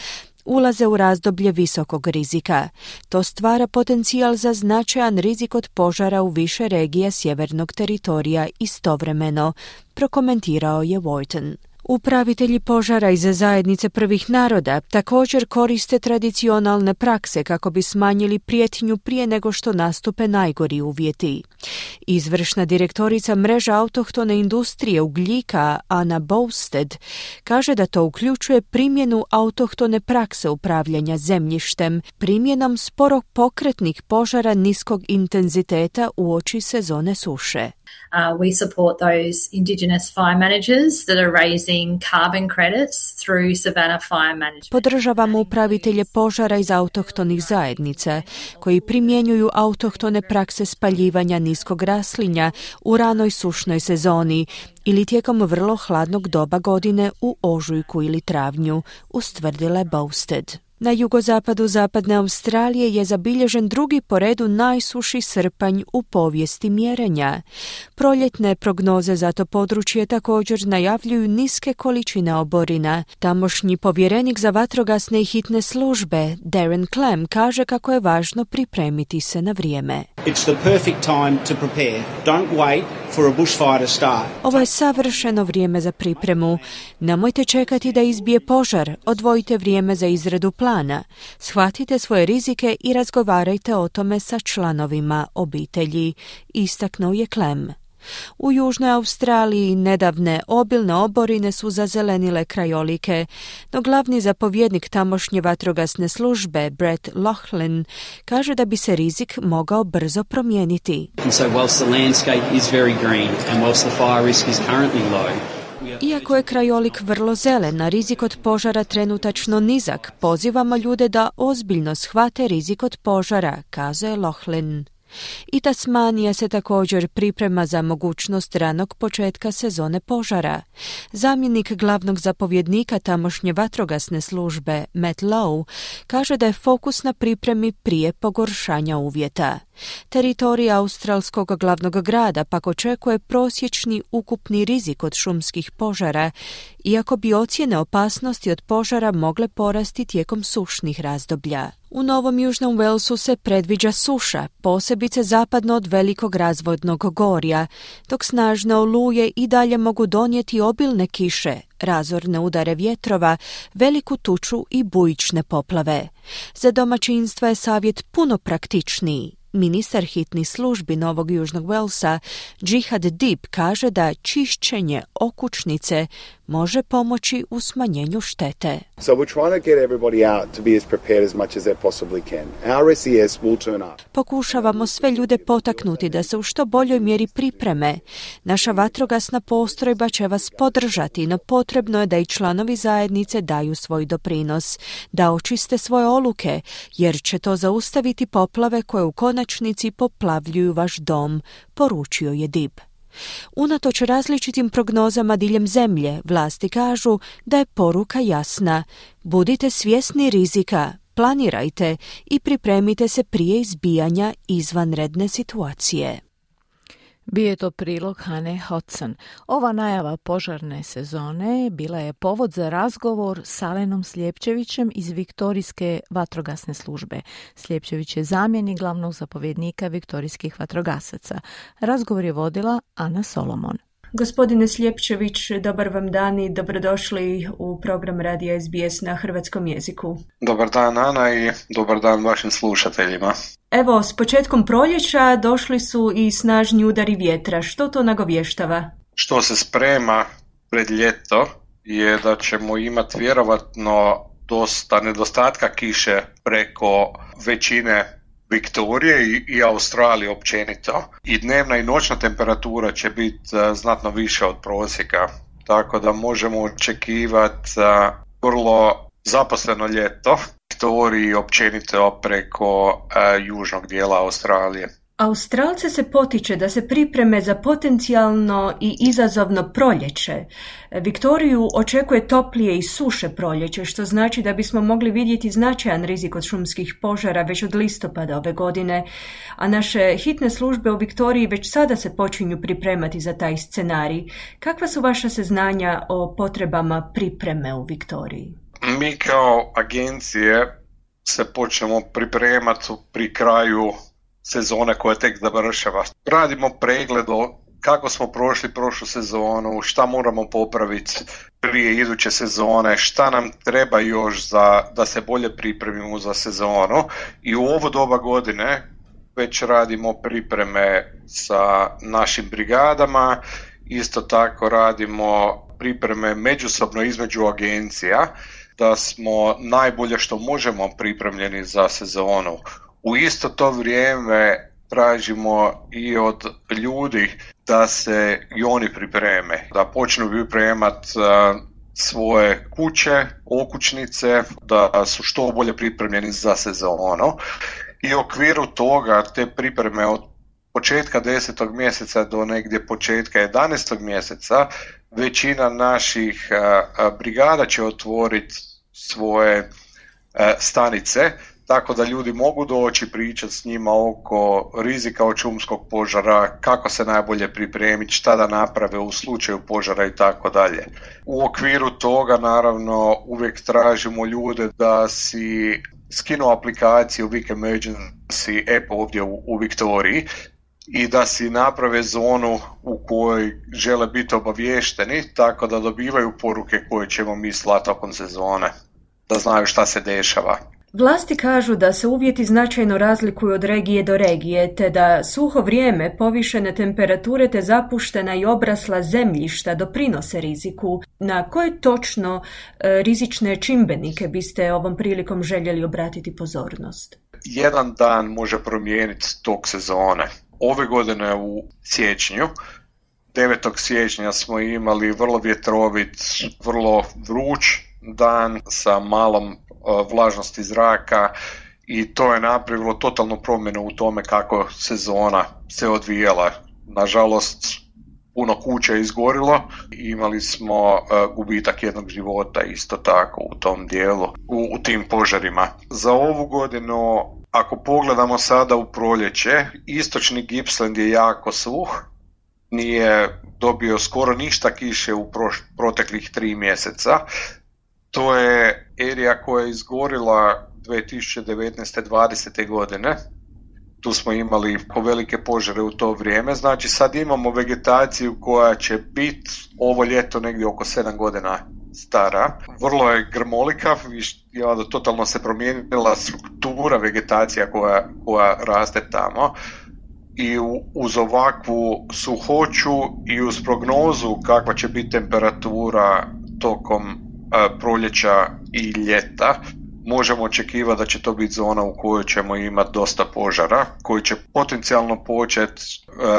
ulaze u razdoblje visokog rizika. To stvara potencijal za značajan rizik od požara u više regija sjevernog teritorija istovremeno, prokomentirao je Wharton. Upravitelji požara iz zajednice prvih naroda također koriste tradicionalne prakse kako bi smanjili prijetnju prije nego što nastupe najgori uvjeti. Izvršna direktorica mreža autohtone industrije ugljika Anna Bowsted kaže da to uključuje primjenu autohtone prakse upravljanja zemljištem, primjenom sporo pokretnih požara niskog intenziteta uoči sezone suše. We support those Indigenous fire managers that are raising carbon credits through Savannah Fire Management. Podržavamo upravitelje požara iz autohtonih zajednica koji primjenjuju autohtone prakse spaljivanja niskog raslinja u ranoj sušnoj sezoni ili tijekom vrlo hladnog doba godine u ožujku ili travnju, ustvrdila je Bowsted. Na jugozapadu zapadne Australije je zabilježen drugi po redu najsuši srpanj u povijesti mjerenja. Proljetne prognoze za to područje također najavljuju niske količine oborina. Tamošnji povjerenik za vatrogasne i hitne službe, Darren Clem, kaže kako je važno pripremiti se na vrijeme. It's the perfect time to prepare. Don't wait for a bushfire to start. Ovo je savršeno vrijeme za pripremu. Nemojte čekati da izbije požar, odvojite vrijeme za izradu plana. Shvatite svoje rizike i razgovarajte o tome sa članovima obitelji, istaknuo je Clem. U Južnoj Australiji nedavne obilne oborine su zazelenile krajolike, no glavni zapovjednik tamošnje vatrogasne službe, Brett Laughlin, kaže da bi se rizik mogao brzo promijeniti. And so whilst the landscape is very green and whilst the fire risk is currently low, iako je krajolik vrlo zelen, a rizik od požara trenutačno nizak, pozivamo ljude da ozbiljno shvate rizik od požara, kazuje Laughlin. I Tasmanija se također priprema za mogućnost ranog početka sezone požara. Zamjenik glavnog zapovjednika tamošnje vatrogasne službe, Matt Lowe, kaže da je fokus na pripremi prije pogoršanja uvjeta. Teritorij australskog glavnog grada pak očekuje prosječni ukupni rizik od šumskih požara, iako bi ocjene opasnosti od požara mogle porasti tijekom sušnih razdoblja. U Novom Južnom Walesu se predviđa suša, posebice zapadno od velikog razvodnog gorja, dok snažne oluje i dalje mogu donijeti obilne kiše, razorne udare vjetrova, veliku tuču i bujične poplave. Za domaćinstva je savjet puno praktičniji. Ministar hitnih službi Novog Južnog Walesa, Jihad Dib, kaže da čišćenje okućnice može pomoći u smanjenju štete. So we're trying to get everybody out to be as prepared as much as they possibly can. Our SES will turn up. Pokušavamo sve ljude potaknuti da se u što boljoj mjeri pripreme. Naša vatrogasna postrojba će vas podržati, no potrebno je da i članovi zajednice daju svoj doprinos, da očiste svoje oluke, jer će to zaustaviti poplave koje u konačnici poplavljuju vaš dom, poručio je Dib. Unatoč različitim prognozama diljem zemlje, vlasti kažu da je poruka jasna. Budite svjesni rizika, planirajte i pripremite se prije izbijanja izvanredne situacije. Bio je to prilog Hane Hodson. Ova najava požarne sezone bila je povod za razgovor s Alenom Sljepčevićem iz Viktorijske vatrogasne službe. Sljepčević je zamjenik glavnog zapovjednika viktorijskih vatrogasaca. Razgovor je vodila Ana Solomon. Gospodine Sljepčević, dobar vam dan i dobrodošli u program Radija SBS na hrvatskom jeziku. Dobar dan, Ana, i dobar dan vašim slušateljima. Evo, s početkom proljeća došli su i snažni udari vjetra. Što to nagovještava? Što se sprema pred ljeto je da ćemo imati vjerovatno dosta nedostatka kiše preko većine Viktorije i Australije općenito. I dnevna i noćna temperatura će biti znatno više od prosjeka. Tako da možemo očekivati vrlo zaposleno ljeto Viktoriji općenito preko južnog dijela Australije. Australce se potiče da se pripreme za potencijalno i izazovno proljeće. Viktoriju očekuje toplije i suše proljeće, što znači da bismo mogli vidjeti značajan rizik od šumskih požara već od listopada ove godine, a naše hitne službe u Viktoriji već sada se počinju pripremati za taj scenarij. Kakva su vaša saznanja o potrebama pripreme u Viktoriji? Mi kao agencije se počnemo pripremati pri kraju sezone koja tek završava. Radimo pregled kako smo prošli prošlu sezonu, šta moramo popraviti prije iduće sezone, šta nam treba još da se bolje pripremimo za sezonu. I u ovo doba godine već radimo pripreme sa našim brigadama, isto tako radimo pripreme međusobno između agencija, da smo najbolje što možemo pripremljeni za sezonu. U isto to vrijeme tražimo i od ljudi da se i oni pripreme, da počnu pripremati svoje kuće, okućnice, da su što bolje pripremljeni za sezonu. I u okviru toga te pripreme od početka 10. mjeseca do negdje početka 11. mjeseca većina naših brigada će otvoriti svoje stanice, tako da ljudi mogu doći pričati s njima oko rizika od šumskog požara, kako se najbolje pripremiti, šta da naprave u slučaju požara i tako dalje. U okviru toga naravno uvijek tražimo ljude da si skinu aplikaciju Vic Emergency app ovdje u Viktoriji i da si naprave zonu u kojoj žele biti obaviješteni, tako da dobivaju poruke koje ćemo mi slati tokom sezone, da znaju šta se dešava. Vlasti kažu da se uvjeti značajno razlikuju od regije do regije, te da suho vrijeme, povišene temperature te zapuštena i obrasla zemljišta doprinose riziku. Na koje točno rizične čimbenike biste ovom prilikom željeli obratiti pozornost? Jedan dan može promijeniti tok sezone. Ove godine u siječnju, 9. siječnja smo imali vrlo vjetrovit, vrlo vruć dan sa malom vlažnosti zraka i to je napravilo totalnu promjenu u tome kako sezona se odvijala. Nažalost, puno kuća je izgorilo i imali smo gubitak jednog života isto tako u tom dijelu, u tim požarima. Za ovu godinu, ako pogledamo sada u proljeće, istočni Gippsland je jako suh, nije dobio skoro ništa kiše u proteklih 3 mjeseca. To je erija koja je izgorila 2019-2020. godine. Tu smo imali velike požare u to vrijeme. Znači sad imamo vegetaciju koja će biti ovo ljeto negdje oko 7 godina stara. Vrlo je grmolika, totalno se promijenila struktura vegetacija koja raste tamo. I uz ovakvu suhoću i uz prognozu kakva će biti temperatura tokom proljeća i ljeta, možemo očekivati da će to biti zona u kojoj ćemo imati dosta požara, koji će potencijalno početi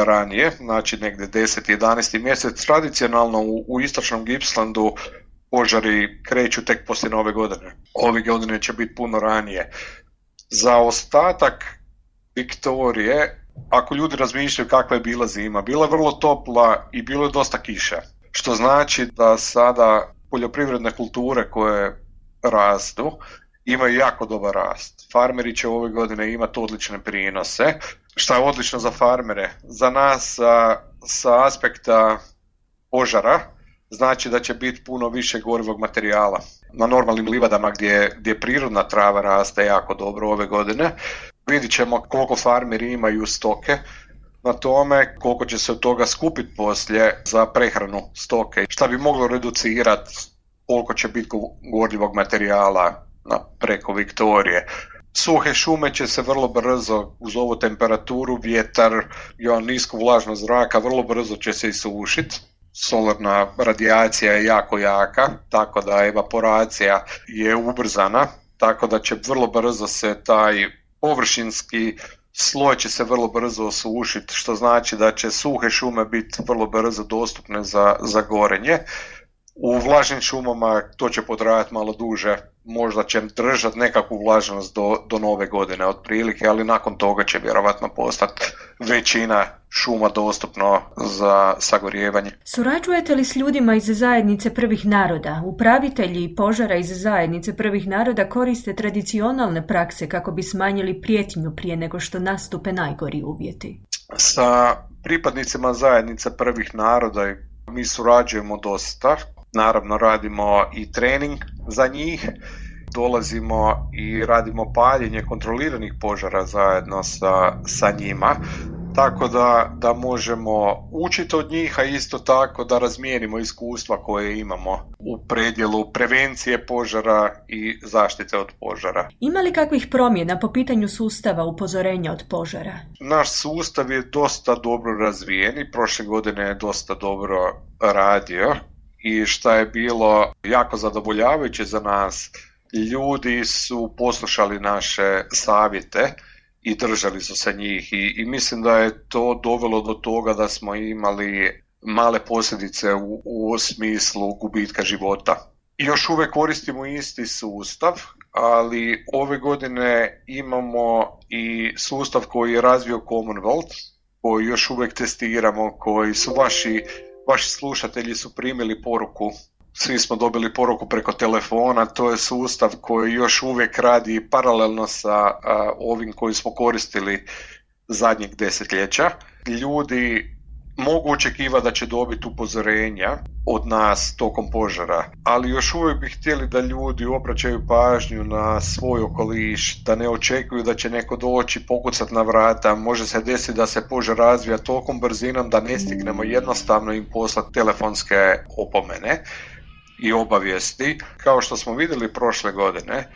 ranije, znači negdje 10. 11. mjesec. Tradicionalno u istočnom Gippslandu požari kreću tek poslije nove godine. Ove godine će biti puno ranije. Za ostatak Viktorije, ako ljudi razmišljaju kakva je bila zima, bila je vrlo topla i bilo je dosta kiša, što znači da sada poljoprivredne kulture koje rastu imaju jako dobar rast. Farmeri će ove godine imati odlične prinose. što je odlično za farmere. Za nas sa aspekta požara znači da će biti puno više gorivog materijala. Na normalnim livadama gdje prirodna trava raste jako dobro ove godine, vidit ćemo koliko farmeri imaju stoke na tome, koliko će se od toga skupiti poslije za prehranu stoke, šta bi moglo reducirati koliko će biti gorljivog materijala preko Viktorije. Suhe šume će se vrlo brzo, uz ovu temperaturu, vjetar i nisku vlažnost zraka, vrlo brzo će se isušiti. Solarna radijacija je jako jaka, tako da evaporacija je ubrzana, tako da će vrlo brzo se taj površinski sloj će se vrlo brzo osušiti, što znači da će suhe šume biti vrlo brzo dostupne za gorenje. U vlažnim šumama to će potrajati malo duže, možda će držati nekakvu vlažnost do nove godine otprilike, ali nakon toga će vjerovatno postati većina šuma dostupno za sagorijevanje. Surađujete li s ljudima iz zajednice prvih naroda? Upravitelji požara iz zajednice prvih naroda koriste tradicionalne prakse kako bi smanjili prijetnju prije nego što nastupe najgori uvjeti. Sa pripadnicima zajednice prvih naroda mi surađujemo dosta. Naravno radimo i trening za njih, dolazimo i radimo paljenje kontroliranih požara zajedno sa njima, tako da možemo učiti od njih, a isto tako da razmijenimo iskustva koje imamo u predjelu prevencije požara i zaštite od požara. Ima li kakvih promjena po pitanju sustava upozorenja od požara? Naš sustav je dosta dobro razvijen i prošle godine je dosta dobro radio. I što je bilo jako zadovoljavajuće za nas, ljudi su poslušali naše savjete i držali su se njih i mislim da je to dovelo do toga da smo imali male posljedice u smislu gubitka života. Još uvijek koristimo isti sustav, ali ove godine imamo i sustav koji je razvio Commonwealth, koji još uvijek testiramo, koji su vaši slušatelji su primili poruku, svi smo dobili poruku preko telefona, to je sustav koji još uvijek radi paralelno sa ovim koji smo koristili zadnjeg desetljeća. Ljudi mogu očekivati da će dobiti upozorenja od nas tokom požara, ali još uvijek bi htjeli da ljudi obraćaju pažnju na svoj okoliš, da ne očekuju da će neko doći, pokucati na vrata, može se desiti da se požar razvija tolikom brzinom da ne stignemo jednostavno im poslati telefonske opomene i obavijesti. Kao što smo vidjeli prošle godine,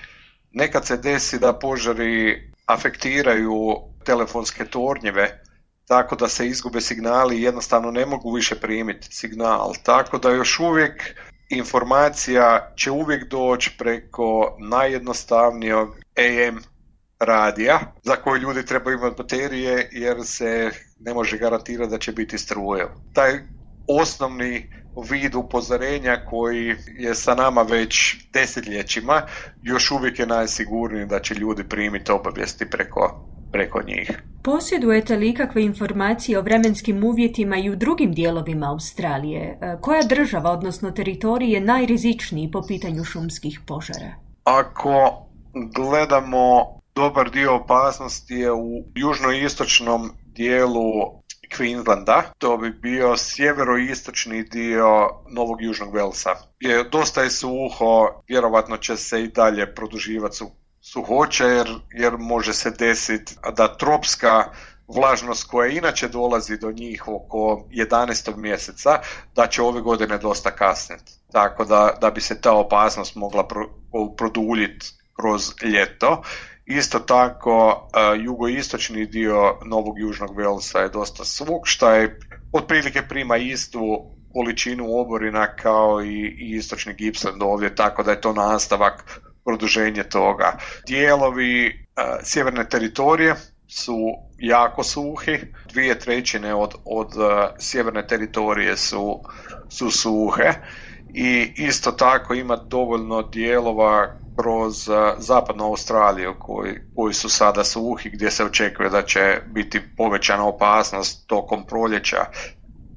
nekad se desi da požari afektiraju telefonske tornjeve, tako da se izgube signali i jednostavno ne mogu više primiti signal. Tako da još uvijek informacija će uvijek doći preko najjednostavnijeg AM radija, za koje ljudi trebaju imati baterije jer se ne može garantirati da će biti struje. Taj osnovni vid upozorenja koji je sa nama već desetljećima, još uvijek je najsigurniji da će ljudi primiti obavijesti preko njih. Posjedujete li ikakve informacije o vremenskim uvjetima i u drugim dijelovima Australije? Koja država, odnosno teritorij, je najrizičniji po pitanju šumskih požara? Ako gledamo, dobar dio opasnosti je u južnoistočnom dijelu Queenslanda, to bi bio sjeveroistočni dio Novog Južnog Velsa. Dosta je suho, vjerovatno će se i dalje produživati suhoće jer može se desiti da tropska vlažnost koja inače dolazi do njih oko 11. mjeseca, da će ove godine dosta kasniti. Tako da bi se ta opasnost mogla produljiti kroz ljeto. Isto tako, jugoistočni dio Novog Južnog Velsa je dosta suh, što je otprilike prima istu količinu oborina kao i istočni Gippsland ovdje, tako da je to nastavak produženje toga. Dijelovi sjeverne teritorije su jako suhi, 2/3 od sjeverne teritorije su suhe i isto tako ima dovoljno dijelova kroz zapadnu Australiju koji su sada suhi, gdje se očekuje da će biti povećana opasnost tokom proljeća.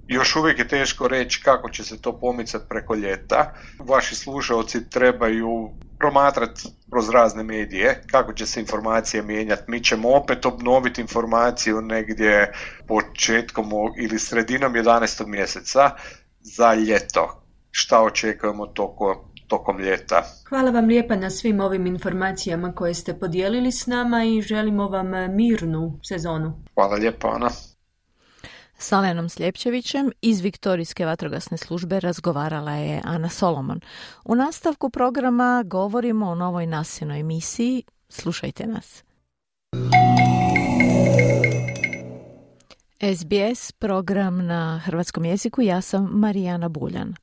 Još uvijek je teško reći kako će se to pomicati preko ljeta. Vaši slušalci trebaju promatrati kroz razne medije kako će se informacije mijenjati. Mi ćemo opet obnoviti informaciju negdje početkom ili sredinom 11. mjeseca za ljeto. Šta očekujemo tokom ljeta. Hvala vam lijepa na svim ovim informacijama koje ste podijelili s nama i želimo vam mirnu sezonu. Hvala lijepa, Ana. S Alenom Sljepčevićem iz Viktorijske vatrogasne službe razgovarala je Ana Solomon. U nastavku programa govorimo o novoj nasinoj emisiji. Slušajte nas. SBS program na hrvatskom jeziku, ja sam Marijana Buljan.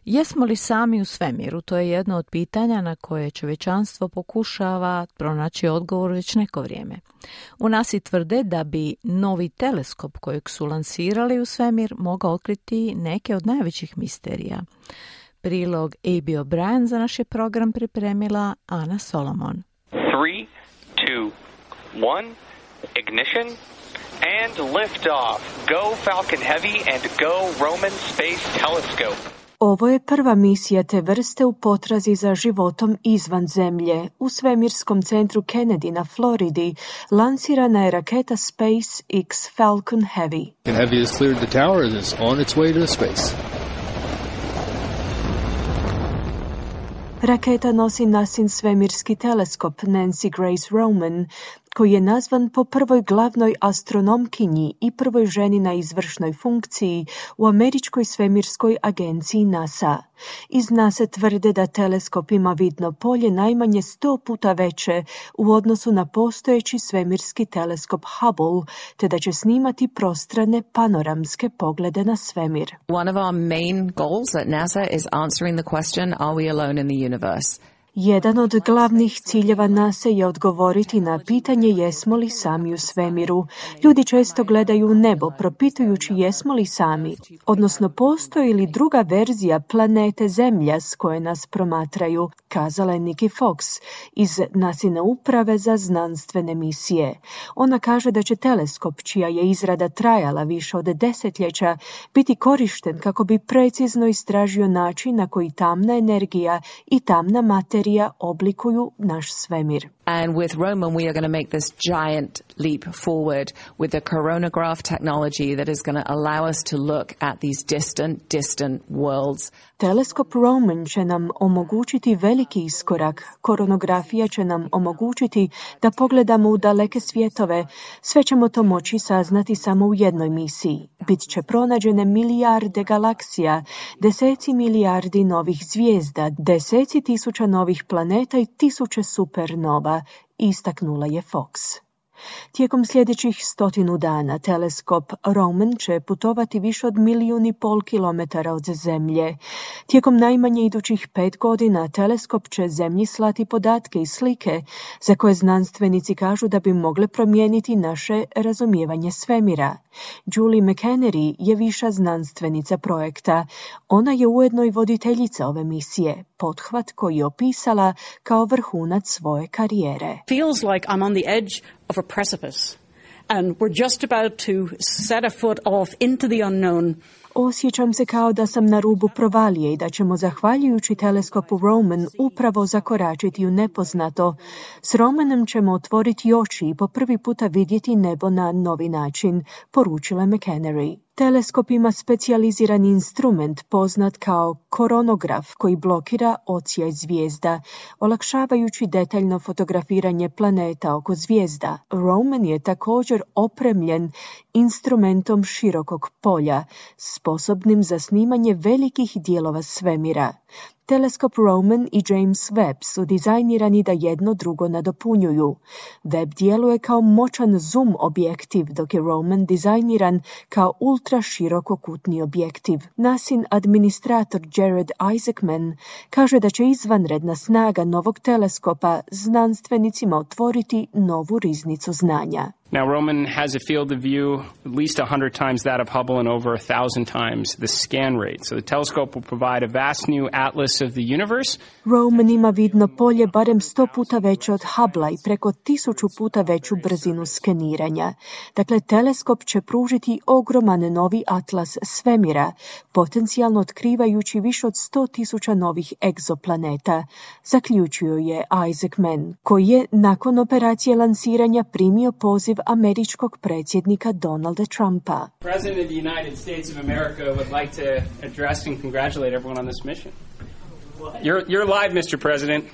Jesmo li sami u svemiru? To je jedno od pitanja na koje čovječanstvo pokušava pronaći odgovor već neko vrijeme. U NASA tvrde da bi novi teleskop kojeg su lansirali u svemir mogao otkriti neke od najvećih misterija. Prilog A.B. O'Brien za naš je program pripremila Ana Solomon. 3, 2, 1, ignition and lift off. Go Falcon Heavy and go Roman Space Telescope. Ovo je prva misija te vrste u potrazi za životom izvan zemlje. U svemirskom centru Kennedy na Floridi lansirana je raketa SpaceX Falcon Heavy. Heavy has cleared the tower and is on its way to space. Raketa nosi NASIN svemirski teleskop Nancy Grace Roman, koji je nazvan po prvoj glavnoj astronomkinji i prvoj ženi na izvršnoj funkciji u američkoj svemirskoj agenciji NASA. Iz NASA tvrde da teleskop ima vidno polje najmanje 100 puta veće u odnosu na postojeći svemirski teleskop Hubble, te da će snimati prostrane panoramske poglede na svemir. One of our main goals at NASA is answering the question, are we alone in the universe? Jedan od glavnih ciljeva NASA je odgovoriti na pitanje jesmo li sami u svemiru. Ljudi često gledaju u nebo, propitujući jesmo li sami, odnosno postoji li druga verzija planete Zemlja s koje nas promatraju, kazala je Nikki Fox iz NASIne uprave za znanstvene misije. Ona kaže da će teleskop, čija je izrada trajala više od desetljeća, biti korišten kako bi precizno istražio način na koji tamna energija i tamna materija oblikuju naš svemir. And with Roman, we are going to make this giant leap forward with the coronagraph technology that is going to allow us to look at these distant worlds. Teleskop Roman će nam omogućiti veliki iskorak. Koronografija će nam omogućiti da pogledamo u daleke svjetove. Sve ćemo to moći saznati samo u jednoj misiji. Bit će pronađene milijarde galaksija, deseci milijardi novih zvijezda, deseci tisuća novih planeta i tisuće supernova, istaknula je Fox. Tijekom sljedećih 100 dana teleskop Roman će putovati više od 1,5 milijuna kilometara od Zemlje. Tijekom najmanje idućih 5 godina teleskop će Zemlji slati podatke i slike za koje znanstvenici kažu da bi mogle promijeniti naše razumijevanje svemira. Julie McHenry je viša znanstvenica projekta. Ona je ujedno i voditeljica ove misije, pothvat koji je opisala kao vrhunac svoje karijere. Feels like I'm on the edge of a precipice and we're just about to set a foot off into the unknown. Osjećam se kao da sam na rubu provalije i da ćemo, zahvaljujući teleskopu Roman, upravo zakoračiti u nepoznato. S Romanom ćemo otvoriti oči i po prvi puta vidjeti nebo na novi način, poručila McHenry. Teleskop ima specijalizirani instrument poznat kao koronograf koji blokira odsjaj zvijezda, olakšavajući detaljno fotografiranje planeta oko zvijezda. Roman je također opremljen instrumentom širokog polja, sposobnim za snimanje velikih dijelova svemira. Teleskop Roman i James Webb su dizajnirani da jedno drugo nadopunjuju. Webb djeluje kao moćan zoom objektiv, dok je Roman dizajniran kao ultra širokokutni objektiv. NASIN administrator Jared Isaacman kaže da će izvanredna snaga novog teleskopa znanstvenicima otvoriti novu riznicu znanja. Now, Roman has a field of view at least 100 times that of Hubble and over 1,000 times the scan rate. So the telescope will provide a vast new atlas of the universe. Roman ima vidno polje barem 100 puta veće od Hubble i preko 1000 puta veću brzinu skeniranja. Dakle, teleskop će pružiti ogroman novi atlas svemira, potencijalno otkrivajući više od 100.000 novih egzoplaneta, zaključio je Isaac Mann, koji je nakon operacije lansiranja primio poziv američkog predsjednika Donalda Trumpa. President of the United States of America would like to address and congratulate everyone on this mission. You're live, Mr. President.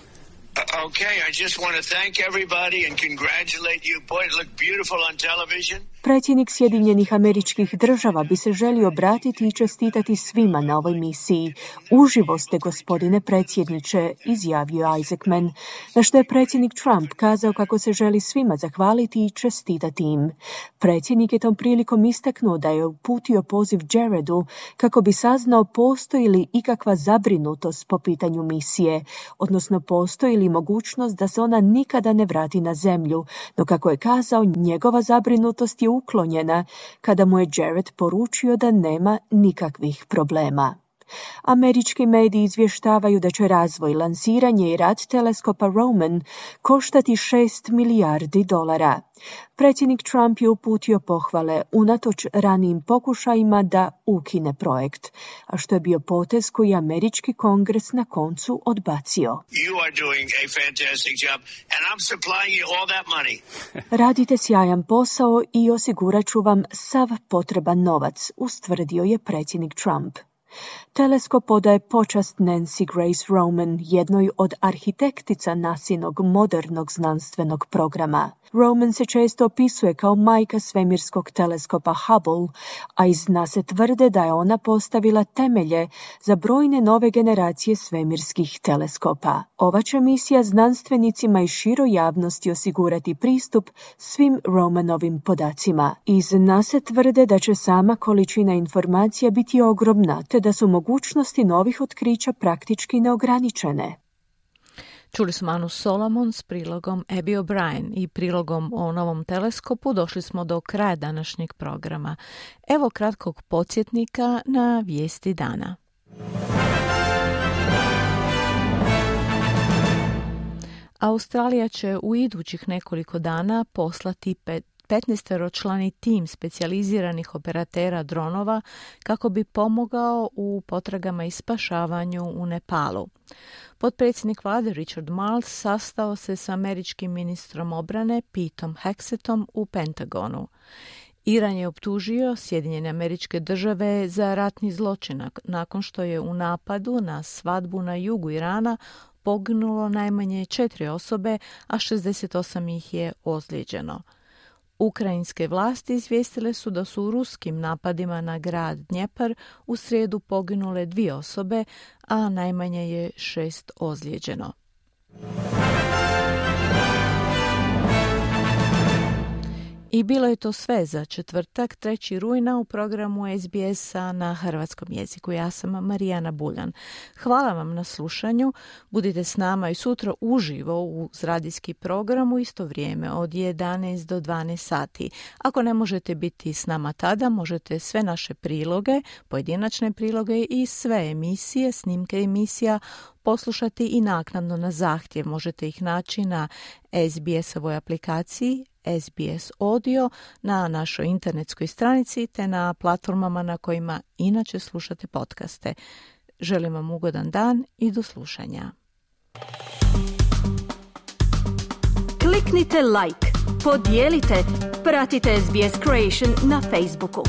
Okay, I just want to thank everybody and congratulate you. Boy, it looked beautiful on television. Predsjednik Sjedinjenih Američkih Država bi se želio obratiti i čestitati svima na ovoj misiji. Uživo ste, gospodine predsjedniče, izjavio Isaac Mann, na što je predsjednik Trump kazao kako se želi svima zahvaliti i čestitati im. Predsjednik je tom prilikom istaknuo da je uputio poziv Jaredu kako bi saznao postoji li ikakva zabrinutost po pitanju misije, odnosno postoji li mogućnost da se ona nikada ne vrati na zemlju, no kako je kazao, njegova zabrinutost je uklonjena kada mu je Jared poručio da nema nikakvih problema. Američki mediji izvještavaju da će razvoj, lansiranje i rad teleskopa Roman koštati $6 milijardi. Predsjednik Trump je uputio pohvale unatoč ranijim pokušajima da ukine projekt, a što je bio potez koji je američki kongres na koncu odbacio. You are doing a fantastic job and I'm supplying you all that money. Radite sjajan posao i osigurat ću vam sav potreban novac, ustvrdio je predsjednik Trump. Teleskop odaje počast Nancy Grace Roman, jednoj od arhitektica NASInog modernog znanstvenog programa. Roman se često opisuje kao majka svemirskog teleskopa Hubble, a iz NASA tvrde da je ona postavila temelje za brojne nove generacije svemirskih teleskopa. Ova će misija znanstvenicima i široj javnosti osigurati pristup svim Romanovim podacima. Iz NASA tvrde da će sama količina informacija biti ogromna, te da su mogućnosti novih otkrića praktički neograničene. Čuli smo Anu Solomon s prilogom Abby O'Brien i prilogom o novom teleskopu. Došli smo do kraja današnjeg programa. Evo kratkog podsjetnika na vijesti dana. Australija će u idućih nekoliko dana poslati 15-člani tim specijaliziranih operatera dronova kako bi pomogao u potragama i spašavanju u Nepalu. Potpredsjednik vlade Richard Marles sastao se s američkim ministrom obrane Peteom Hexetom u Pentagonu. Iran je optužio Sjedinjene Američke Države za ratni zločin nakon što je u napadu na svadbu na jugu Irana poginulo najmanje 4 osobe, a 68 ih je ozlijeđeno. Ukrajinske vlasti izvijestile su da su u ruskim napadima na grad Dnjepar u srijedu poginule 2 osobe, a najmanje je 6 ozlijeđeno. I bilo je to sve za četvrtak, 3. rujna u programu SBS-a na hrvatskom jeziku. Ja sam Marijana Buljan. Hvala vam na slušanju. Budite s nama i sutra uživo uz radijski program u isto vrijeme od 11 do 12 sati. Ako ne možete biti s nama tada, možete sve naše priloge, pojedinačne priloge i sve emisije, snimke emisija poslušati i naknadno na zahtjev. Možete ih naći na SBS-ovoj aplikaciji SBS Audio, na našoj internetskoj stranici te na platformama na kojima inače slušate podcaste. Želim vam ugodan dan i do slušanja. Kliknite like, podijelite, pratite SBS Creation na Facebooku.